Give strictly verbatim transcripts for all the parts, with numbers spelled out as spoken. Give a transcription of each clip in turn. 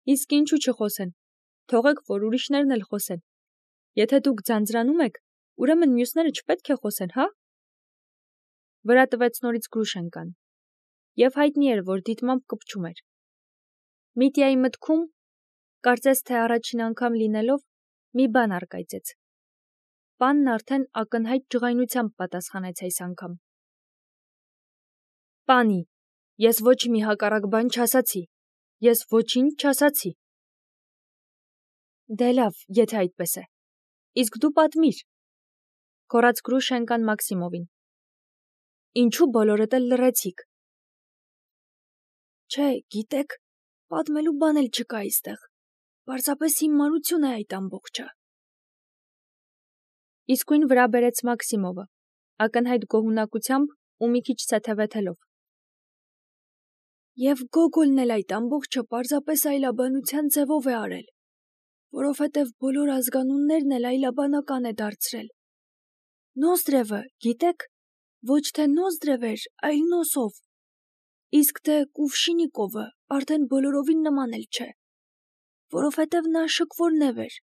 Իսկ ինչու չխոսեն, թողեք, որ ուրիշներն էլ խոսեն, եթե դուք ձանձրանում եք, ուրեմն մյուսները չպետք է խոսեն, հա՞։ Վրա տվեց նորից Գրուշենկան, և հայտնի էր, որ դիտմամբ կպչում էր։ Միտյայի մտքում, կարծես թե առաջին անգամ լինելով, մի բան առկայծեց։ Պանն արդեն ակնհայտ ջղայնությամբ պատասխանեց այս անգամ։ Պանի, ես ոչ մի հակառակ բան չասացի, ես ոչինչ չասացի։ Դե լավ, եթե այդպես է, իսկ դու պատմիր, գոռաց Գրուշենկան Մաքսիմովին։ Ինչու բոլորդ էլ լռեցիք։ Չէ, գիտեք, պատմելու բան էլ չկա այստեղ, պարզապես հիմարություն է այդ ամբողջը։ Իսկույն վրա բերեց Մաքսիմովը, ակնհայտ գոհունակությամբ ու մի քիչ թեթևացելով։ Եվ Գոգոլն էլ այդ ամբողջը պարզապես այլաբանության ձևով է արել, որովհետև բոլոր ազգանուններն էլ այլաբանական է դարձրել։ Նոզդրևը, գիտեք, ոչ թե Նոզդրև էր, այլ Նոսով, իսկ թե Կուվշինիկովը արդեն բոլորովին նման էլ չէ, որովհետև նա շքվորնև էր։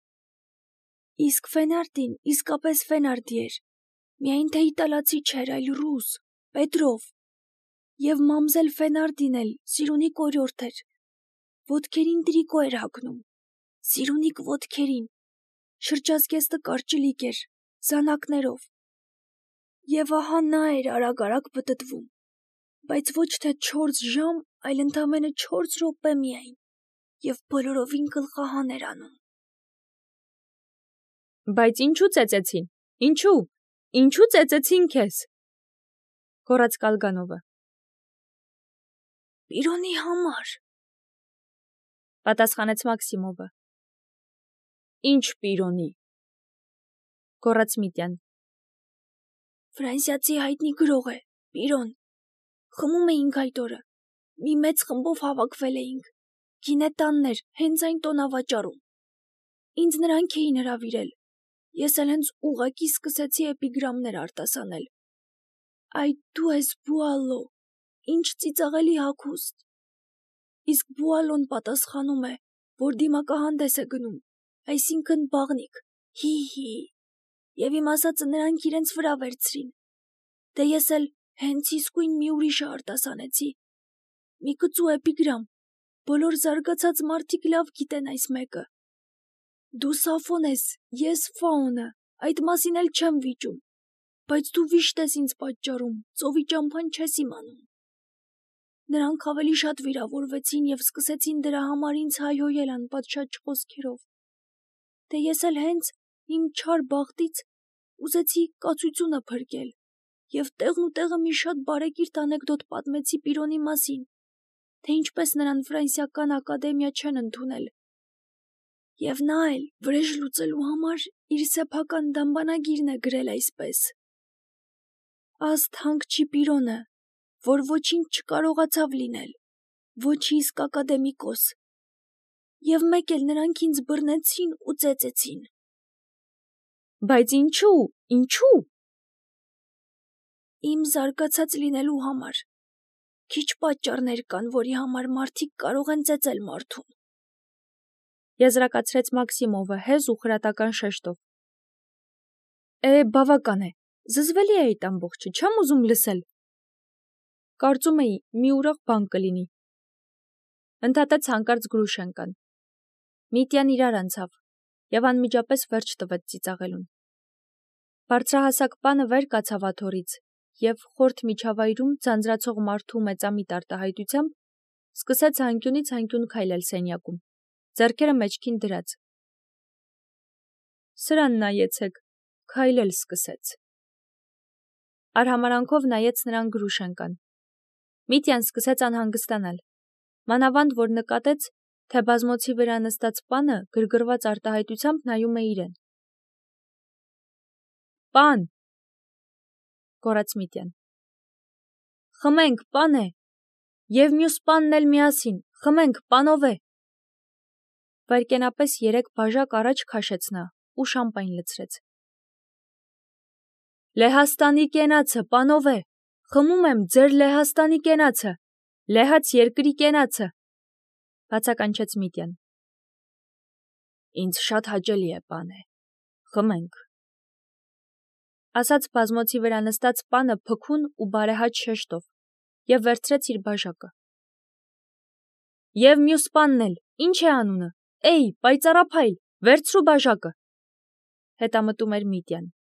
Իսկ Ֆենարդին իսկապես Ֆենարդի էր, միայն թե իտալացի չէր, այլ ռուս, Պետրով, և մամզել Ֆենարդին էլ Սիրունի կորյորդ էր, ոտքերին տրիկո էր հագնում, Սիրունիք ոտքերին, շրջազգեստը կարճլիկ էր, զանակներով, և ահա նա էր արագ-արագ պտտվում, բայց ոչ թե չորս ժամ, այլ ընդամենը չորս րոպե միայն, և բոլորովին գլխահան էր անում։ Բայց ինչու ծեծեցին, ինչու, ինչու ծեծեցին քեզ, գոռաց Կալգանովը։ Պիրոնի համար, պատասխանեց Մաքսիմովը։ Ինչ Պիրոնի, գոռաց Միտյան։ Ֆրանսիացի հայտնի գրող է, Պիրոն, խմում էինք այդ օրը, մի մեծ խմբով հավաքվել էինք, գինետաններ, հենց այն տոնավաճառում։ Ինձ նրանք էին հրավիրել, ես էլ հենց ուղղակի սկսեցի էպիգրամներ արտասանել։ Այդ դու ես Բուալո, ինչ ծիծաղելի հագուստ։ Իսկ Բուալոն պատասխանում է, որ դիմակահանդես է գնում, այսինքն բաղնիք, հի՛֊հի՛, և իմ ասածը նրանք իրենց վրա վերցրին, դե ես էլ հենց իսկույն մի ուրիշը արտասանեցի, մի կծու էպիգրամ, բոլոր զարգացած մարդիկ լավ գիտեն այս մեկը։ Դու Սաֆոն ես, ես Ֆաոնը, այդ մասին էլ չեմ վիճում, բայց դու վիշտ ես ինձ պատճառում, ծովի ճամփան չես իմանում։ Նրանք ավելի շատ վիրավորվեցին և սկսեցին դրա համար ինձ հայհոյել անպատշաճ խոսքերով։ Դե ես էլ հենց իմ չար բախտից ուզեցի կացությունը փրկել և տեղնուտեղը մի շատ բարեկիրթ անեկդոտ պատմեցի Պիրոնի մասին, թե ինչպես նրան Ֆրանսիական ակադեմիա չեն ընդունել։ Եվ նա էլ վրեժ լուծելու համար իր սեփական դամբանագիրն է գրել այսպես. Աստ հանգչի Պիրոնը, որ ոչինչ չկարողացավ լինել, ոչ իսկ ակադեմիկոս, և մեկ էլ նրանք ինձ բռնեցին ու ծեծեցին։ Բայց ինչու, ինչու։ Իմ զարգացած լինելու համար, քիչ պատճառներ կան, որի համար մարդիկ կարող են ծեծել մարդուն։ Եզրակացրեց Մաքսիմովը հեզ ու խրատական շեշտով։ Է, բավական է, զզվելի է այդ ամբողջը, չեմ ուզում լսել։ Կարծում էի, մի ուրախ բան կլինի։ Ընդհատեց հանկարծ Գրուշենկան։ Միտյան իրար անցավ և անմիջապես վերջ տվեց ծիծաղելուն։ Բարձրահասակ պանը վեր կացավ աթոռից և խորթ միջավայրում ձանձրացող մարդու մեծամիտ արտահայտությամբ սկսեց հանկյունից հանկյուն քայլել սենյակում, ձեռքերը մեջքին դրած։ Սրան նայեցեք, քայլել սկսեց։ Արհամարանքով նայեց նրան Գրուշենկան։ Միտյան սկսեց անհանգստանալ, մանավանդ որ նկատեց, թե բազմոցի վրա նստած պանը գրգռված արտահայտությամբ նայում է իրեն։ Պան, գոռաց Միտյան։ Խմենք, պան է, և մյուս պանն էլ միասին, խմենք, պանով է։ Վայրկենապես երեք բաժակ առաջ քաշեց նա ու շամպայն լցրեց։ Լեհաստանի կենացը, պանով է, խմում եմ ձեր Լեհաստանի կենացը, լեհաց երկրի կենացը, բացականչեց Միտյան։ Ինձ շատ հաճելի է, պане։ Խմենք։ Ասաց բազմոցի վրա նստած պանը փքուն ու բարեհաճ շեշտով և վերցրեց իր բաժակը։ Եվ մյուս պանն էլ, ինչ է անունը, էй, պայծառափայլ, վերցրու բաժակը։ Հետամտում էր Միտյան։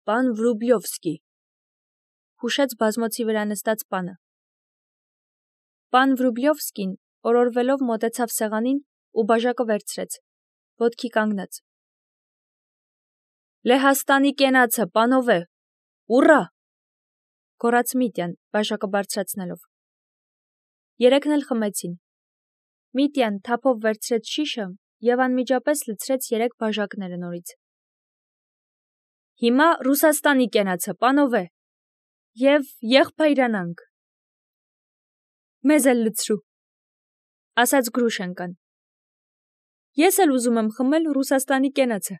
Պան Վրուբլյովսկի, հուշեց բազմոցի վրա նստած պանը։ Պան Վրուբլյովսկին օրորվելով մոտեցավ սեղանին ու բաժակը վերցրեց, ոտքի կանգնեց։ Լեհաստանի կենացը, պանովե, ուռա, գոռաց Միտյան, բաժակը բարձրացնելով։ Երեքն էլ խմեցին։ Միտյան թափով վերցրեց շիշը և անմիջապես լցրեց երեք բաժակները նորից։ Հիմա Ռուսաստանի կենացը, պանովե, և եղբայրանանք։ Մեզ էլ լցրու, ասաց Գրուշենկան։ Ես էլ ուզում եմ խմել Ռուսաստանի կենացը։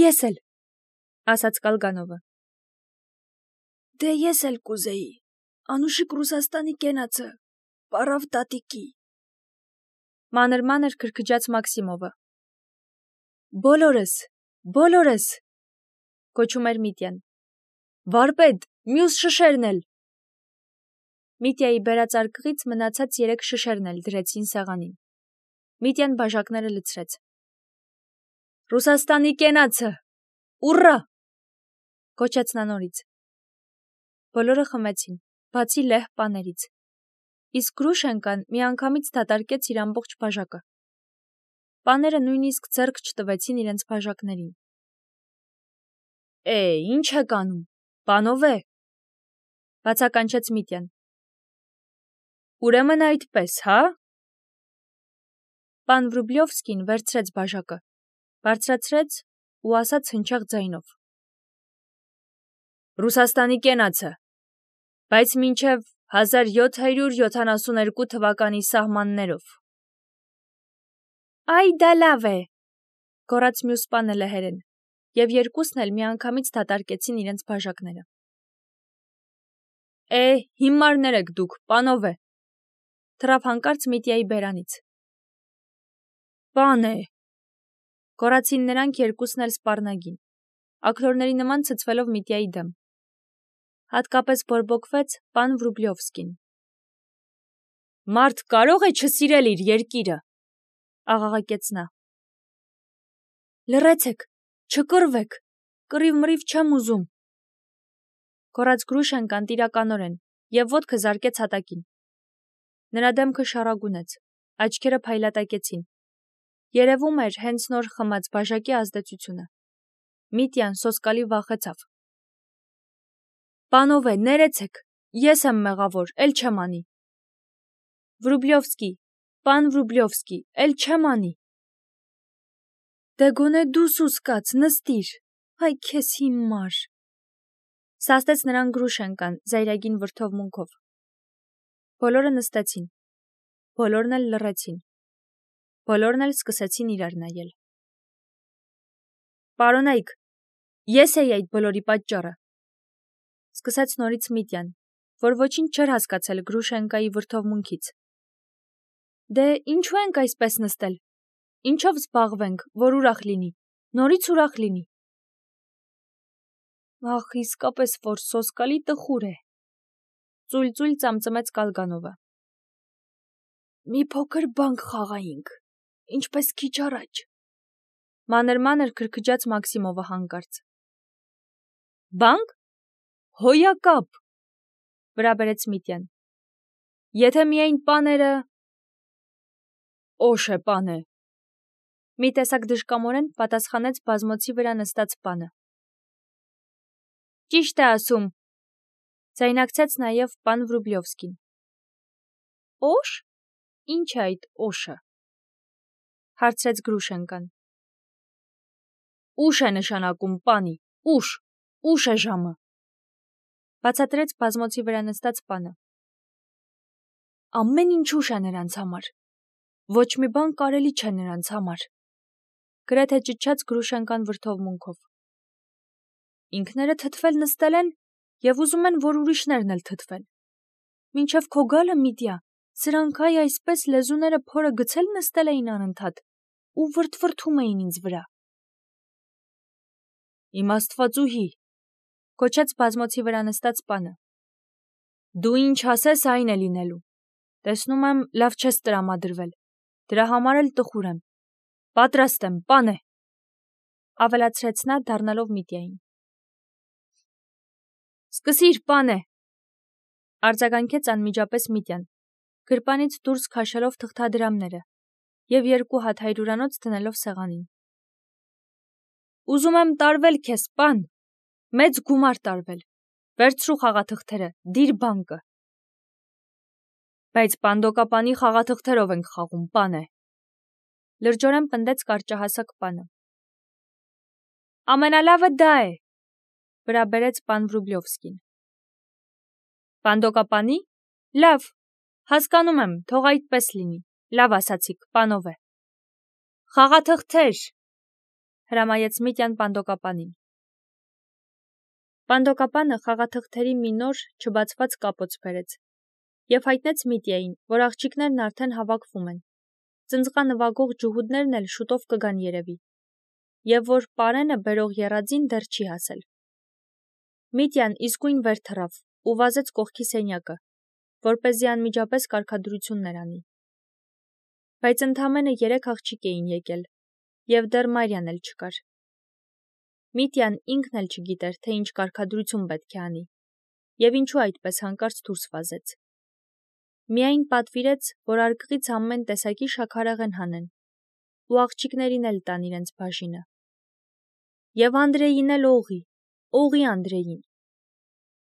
Ես էլ, ասաց Կալգանովը։ Դե ես էլ կուզեի, անուշիկ Ռուսաստանի կենացը, պարավ տատիկի։ Մանր-մանր քրքջաց Մաքսիմովը։ Բոլորս, բոլորս, կոչում էր Միտյան։ Վարպետ, մյուս շշերն էլ։ Միտյայի բերած արկղից մնացած երեք շշերն էլ դրեցին սեղանին։ Միտյան բաժակները լցրեց։ Ռուսաստանի կենացը, ուռա, կոչեց նա նորից։ Բոլորը խմեցին, բացի լեհ պաներից։ Իսկ Գրուշենկան միանգամից դատարկեց իր ամբողջ բաժակը։ Պաները նույնիսկ ձեռք չտվեցին իրենց բաժակներին։ Է, ինչ եք անում, պանովե, բացականչեց Միտյան։ Ուրեմն այդպես, հա։ Պան Վրուբլյովսկին վերցրեց բաժակը, բարձրացրեց ու ասաց հնչեղ ձայնով. Ռուսաստանի կենացը, բայց մինչև հազար յոթ հարյուր յոթանասունհինգ թվականի սահմաններով։ Այ դա լավ է, գոռաց մյուս պանը լեհերեն, և երկուսն էլ միանգամից դատարկեցին իրենց բաժակները։ Է, հիմարներ եք դուք, պանովե, թռավ հանկարծ Միտյայի բերանից։ Պան է, գոռացին նրանք երկուսն էլ սպառնագին, աքլորների նման ցցվելով Միտյայի դեմ։ Հատկապես բորբոքվեց պան Վրուբլյովսկին։ Մարդ կարո՞ղ է չսիրել իր երկիրը, աղաղակեց նա։ Լռեցեք, չկռվեք, կռիվ-մռիվ չեմ ուզում, գոռաց Գրուշենկան տիրականորեն և ոտքը զարկեց հատակին։ Նրա դեմքը շառագունեց, աչքերը փայլատակեցին։ Երևում էր հենց նոր խմած բաժակի ազդեցությունը։ Միտյան սոսկալի վախեցավ։ Պանովե, ներեցեք, ես եմ մեղավոր, էլ չեմ անի։ Վրուբլյովսկի, պան Վրուբլյովսկի, էլ չեմ անի։ Դե գոնե դու սուսկաց, նստիր, այ քեզ հիմար, սաստեց նրան Գրուշենկան զայրագին վրդովմունքով։ Բոլորը նստեցին, բոլորն էլ լռեցին, բոլորն էլ սկսեցին իրար նայել։ Պարոնայք, ես էի այդ բոլորի պատճառը, սկսեց նորից Միտյան, որ ոչինչ չէր հասկացել Գրուշենկայի վրդովմունքից։ Դե ինչու ենք այսպես նստել, ինչով զբաղվենք, որ ուրախ լինի, նորից ուրախ լինի։ Ախ, իսկապես որ սոսկալի տխուր է, ծույլ-ծույլ ծամծմեց Կալգանովը։ Մի փոքր բանկ խաղայինք, ինչպես քիչ առաջ, մանր-մանր քրքջաց Մաքսիմովը հանկարծ։ Բանկ։ Հոյակապ, վրա բերեց Միտյան։ Եթե միայն պաները… Օշ է, պանը, մի տեսակ դժկամորեն պատասխանեց բազմոցի վրա նստած պանը։ Ճիշտ է ասում, ձայնակցեց նաև պան Վրուբլյովսկին։ Օշ, ինչ է այդ օշը, հարցրեց Գրուշենկան։ Ուշ է նշանակում, պանի, ուշ, ուշ է ժամը, բացատրեց բազմոցի վրա նստած պանը։ Ամեն ինչ ուշ է նրանց համար, ոչ մի բան կարելի չէ նրանց համար, գրեթե ճչաց Գրուշենկան վրդովմունքով։ Ինքները թթվել նստել են և ուզում են, որ ուրիշներն էլ թթվեն։ Մինչև քո գալը, Միտյա, Սրանք այ այսպես լեզուները փորը գցել նստել էին անընդհատ ու վրդվրդում էին ինձ վրա։ Իմ աստվածուհի, կոչեց բազմոցի վրա նստած պանը։ Դու ինչ ասես, այն է լինելու։ Տեսնում եմ, լավ չես տրամադրվել։ Դրա համար էլ տխուր եմ։ Պատրաստ եմ, պան է, ավելացրեց նա դառնալով Միտյային։ Սկսիր, պան է, արձագանքեց անմիջապես Միտյան, գրպանից դուրս քաշելով թղթադրամները և երկու հատ հայրուրանոց դնելով սեղանին։ Ուզում եմ տարվել քեզ, պան, մեծ գումար տարվել, վերցրու խաղաթղթերը, դիր բանկը։ Բայց պանդոկապանի խաղաթղթերով ենք խաղում, պան է, լրջորեն պնդեց կարճահասակ պանը։ Ամենալավը դա է, վրա բերեց պան Վրուբլովսկին։ Պանդոկապանի, լավ, հասկանում եմ, թող այդպես լինի, լավ ասացիք, պանով է։ Խաղաթղթեր, հրամայեց Միտյան պանդոկապանին։ Պանդոկապանը խաղաթղթերի մի նոր չբացված կապոց բերեց և հայտնեց Միտյային, որ աղջիկներն արդեն հավաքվում են, ծնծղա նվագող ջհուդներն էլ շուտով կգան երևի, և որ պարենը բերող եռաձին դեռ չի հասել։ Միտյան իսկույն վեր թռավ ու վազեց կողքի սենյակը, որպեսզի անմիջապես կարգադրություններ անի։ Բայց ընդամենը երեք աղջիկ էին եկել, և դեռ Մարյան էլ չկար։ Միտյան ինքն էլ չգիտեր, թե ինչ կարգադրություն պետք է անի, և ինչու այդպես հանկարծ դուրս վազեց։ Միայն պատվիրեց, որ արկղից ամեն տեսակի շաքարեղեն հանեն, ու աղջիկներին էլ տան իրենց բաժինը։ Եվ Անդրեին էլ օղի, օղի Անդրեին,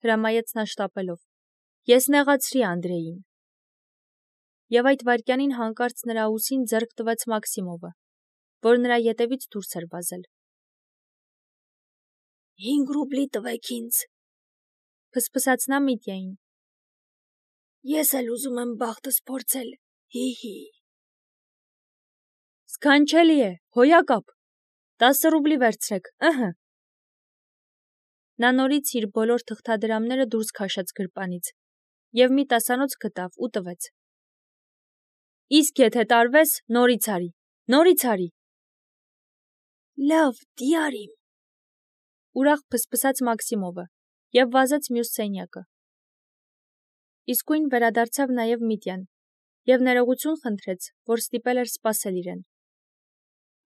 հրամայեց նա շտապելով, ես նեղացրի Անդրեին։ Եվ այդ վայրկյանին հանկարծ նրա ուսին ձեռք տվեց Մաքսիմովը, որ նրա ետևից դուրս էր վազել։ Հինգ ռուբլի տվեք ինձ, փսփսաց նա Միտյային։ Ես էլ ուզում եմ բախտս փորձել, հի-հի։ Սքանչելի է, հոյակապ, տասը ռուբլի վերցրեք, ըհը։ Նա նորից իր բոլոր թղթադրամները դուրս քաշեց գրպանից և մի տասանոց գտավ ու տվեց։ Իսկ եթե տարվես, նորից արի, նորից արի։ Լավ, դիարիմ, ուրախ փսփսաց Մաքսիմովը և վազեց մյուս սենյակը։ Իսկույն վերադարձավ նաև Միտյան և ներողություն խնդրեց, որ ստիպել էր սպասել իրեն։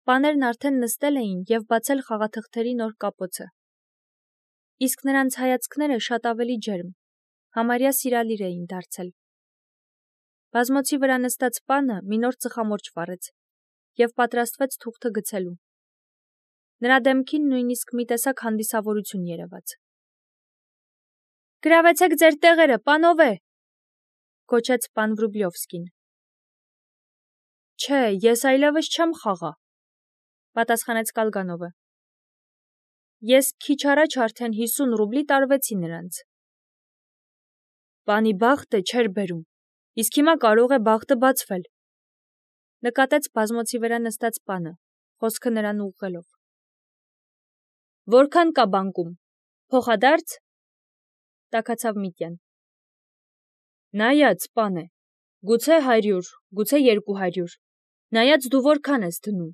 Պաներն արդեն նստել էին և բացել խաղաթղթերի նոր կապոցը։ Իսկ նրանց հայացքները շատ ավելի ջերմ, համարյա սիրալիր էին դարձել։ Բազմոցի վրա նստած պանը մի նոր ծխամորճ վառեց և պատրաստվեց թուղթը գցելու։ Նրա դեմքին նույնիսկ մի տեսակ հանդիսավորություն երևաց։ Գրավեցեք ձեր տեղերը, պանով է, կոչեց պան Վրուբլովսկին։ Չէ, ես այլևս չեմ խաղա, պատասխանեց Կալգանովը։ Ես քիչ առաջ արդեն հիսուն ռուբլի տարվեցի նրանց։ Պանի բախտը չէր բերում, իսկ հիմա կարող է բախտը բացվել, նկատեց բազմոցի վրա նստած պանը, խոսքը նրան ուղղելով։ Որքան կա բանկում, փոխադարձ, տաքացավ Միտյան։ Նայած, պան է, գուցե հարյուր, գուցե երկու հարյուր, նայած դու որքան ես դնում։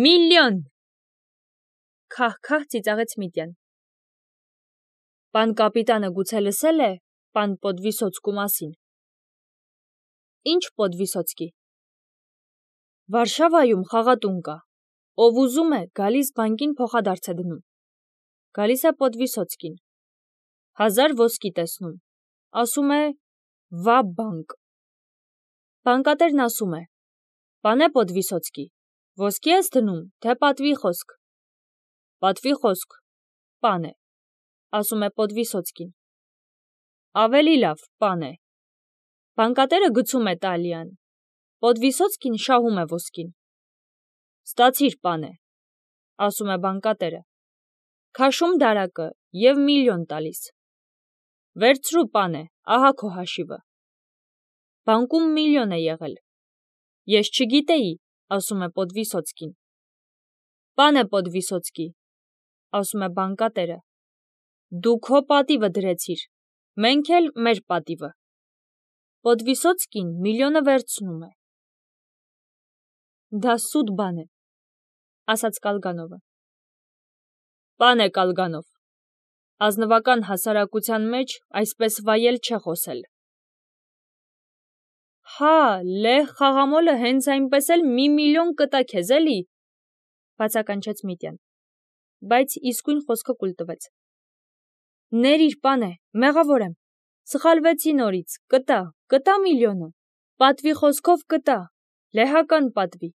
Միլիոն, քահ-քահ ծիծաղեց Միտյան։ Պան կապիտանը գուցե լսել է պան Պոդվիսոցկու մասին։ Ինչ Պոդվիսոցկի։ Վարշավայում խաղատուն կա, ով ուզում է, գալիս բանկին փոխադարձ է դնում։ Գալիս է Պոդվիսոցկին, հազար ոսկի տեսնում, ասում է վա բանկ։ Բանկատերն ասում է. Պանե Պոդվիսոցկի, ոսկի ես դնում, թե պատվի խոսք։ Պատվի խոսք, պան է, ասում է Պոդվիսոցկին։ Ավելի լավ, պան է։ Բանկատերը գցում է տալիան, Պոդվիսոցկին շահում է ոսկին։ Ստացիր, պան է, ասում է բանկատերը, քաշում դարակը և միլիոն տալիս։ Վերցրու, պան է, ահա քո հաշիվը։ Բանկում միլիոն է եղել։ Ես չգիտեի, ասում է Պոդվիսոցկին։ Պան է Պոդվիսոցկի, ասում է բանկատերը, դու քո պատիվը դրեցիր, մենք էլ մեր պատիվը։ Պոդվիսոցկին միլիոնը վերցնում է։ Դա սուտ բան է, ասաց Կալգանովը։ Պան է Կալգանով, ազնվական հասարակության մեջ այսպես վայել չէ խոսել։ Հա, լեհ խաղամոլը հենց այնպես էլ մի միլիոն կտա քեզ էլի, բացականչեց Միտյան, բայց իսկույն խոսքը կուլ տվեց։ Ներիր պան է, մեղավոր եմ, սխալվեցի նորից, կտա, կտա միլիոնը, պատվի խոսքով կտա, լեհական պատվի։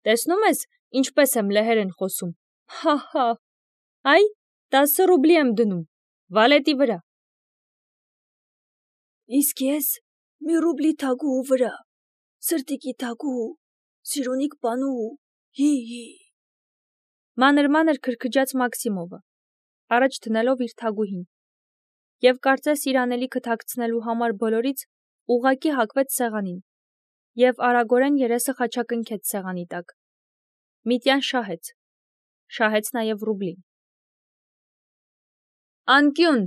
Տեսնում ես, ինչպես եմ լեհերեն խոսում, հա հա, այ, տասը ռուբլի եմ դնում, վալետի վրա։ Իսկ ես մի ռուբլի թագուհու վրա, սրտիկի թագուհու, սիրունիկ պանուհու, հի հի։ Մանր-մանր քրքջաց Մաքսիմովը, առաջ դնելով իր թագուհին, և կարծես իր անելիքը թաքցնելու համար բոլորից ուղղակի հակվեց սեղանին, և արագորեն երեսը խաչակնքեց սեղանի տակ։ Միտյան շահեց, շահեց նաև ռուբլին։ Անկյուն,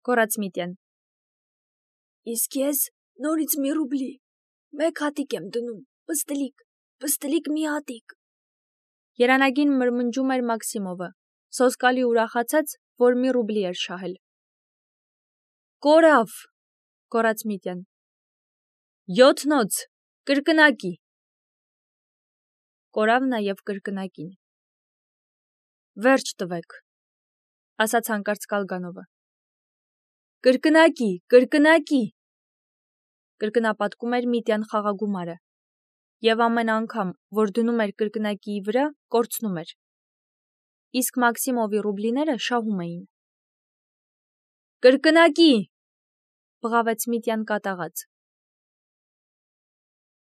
գոռաց Միտյան։ Իսկ ես նորից մի ռուբլի, մեկ հատիկ եմ դնում, պստլիկ, պստլիկ մի հատիկ։ Երանագին մրմնջում էր Մաքսիմովը, սոսկալի ուրախացած, որ մի ռուբլի էր շահել։ Կորավ, գոռաց Միտյան։ Յոթնոց, կրկնակի։ Կորավ նաև կրկնակին։ Վերջ տվեք, ասաց հանկարծ Կալգանովը։ Կրկնակի, կրկնակի, կրկնապատկում էր Միտյան խաղագումարը, և ամեն անգամ, որ դնում էր կրկնակիի վրա, կորցնում էր։ Իսկ Մաքսիմովի ռուբլիները շահում էին։ Կրկնակի, բղավեց Միտյան կատաղած։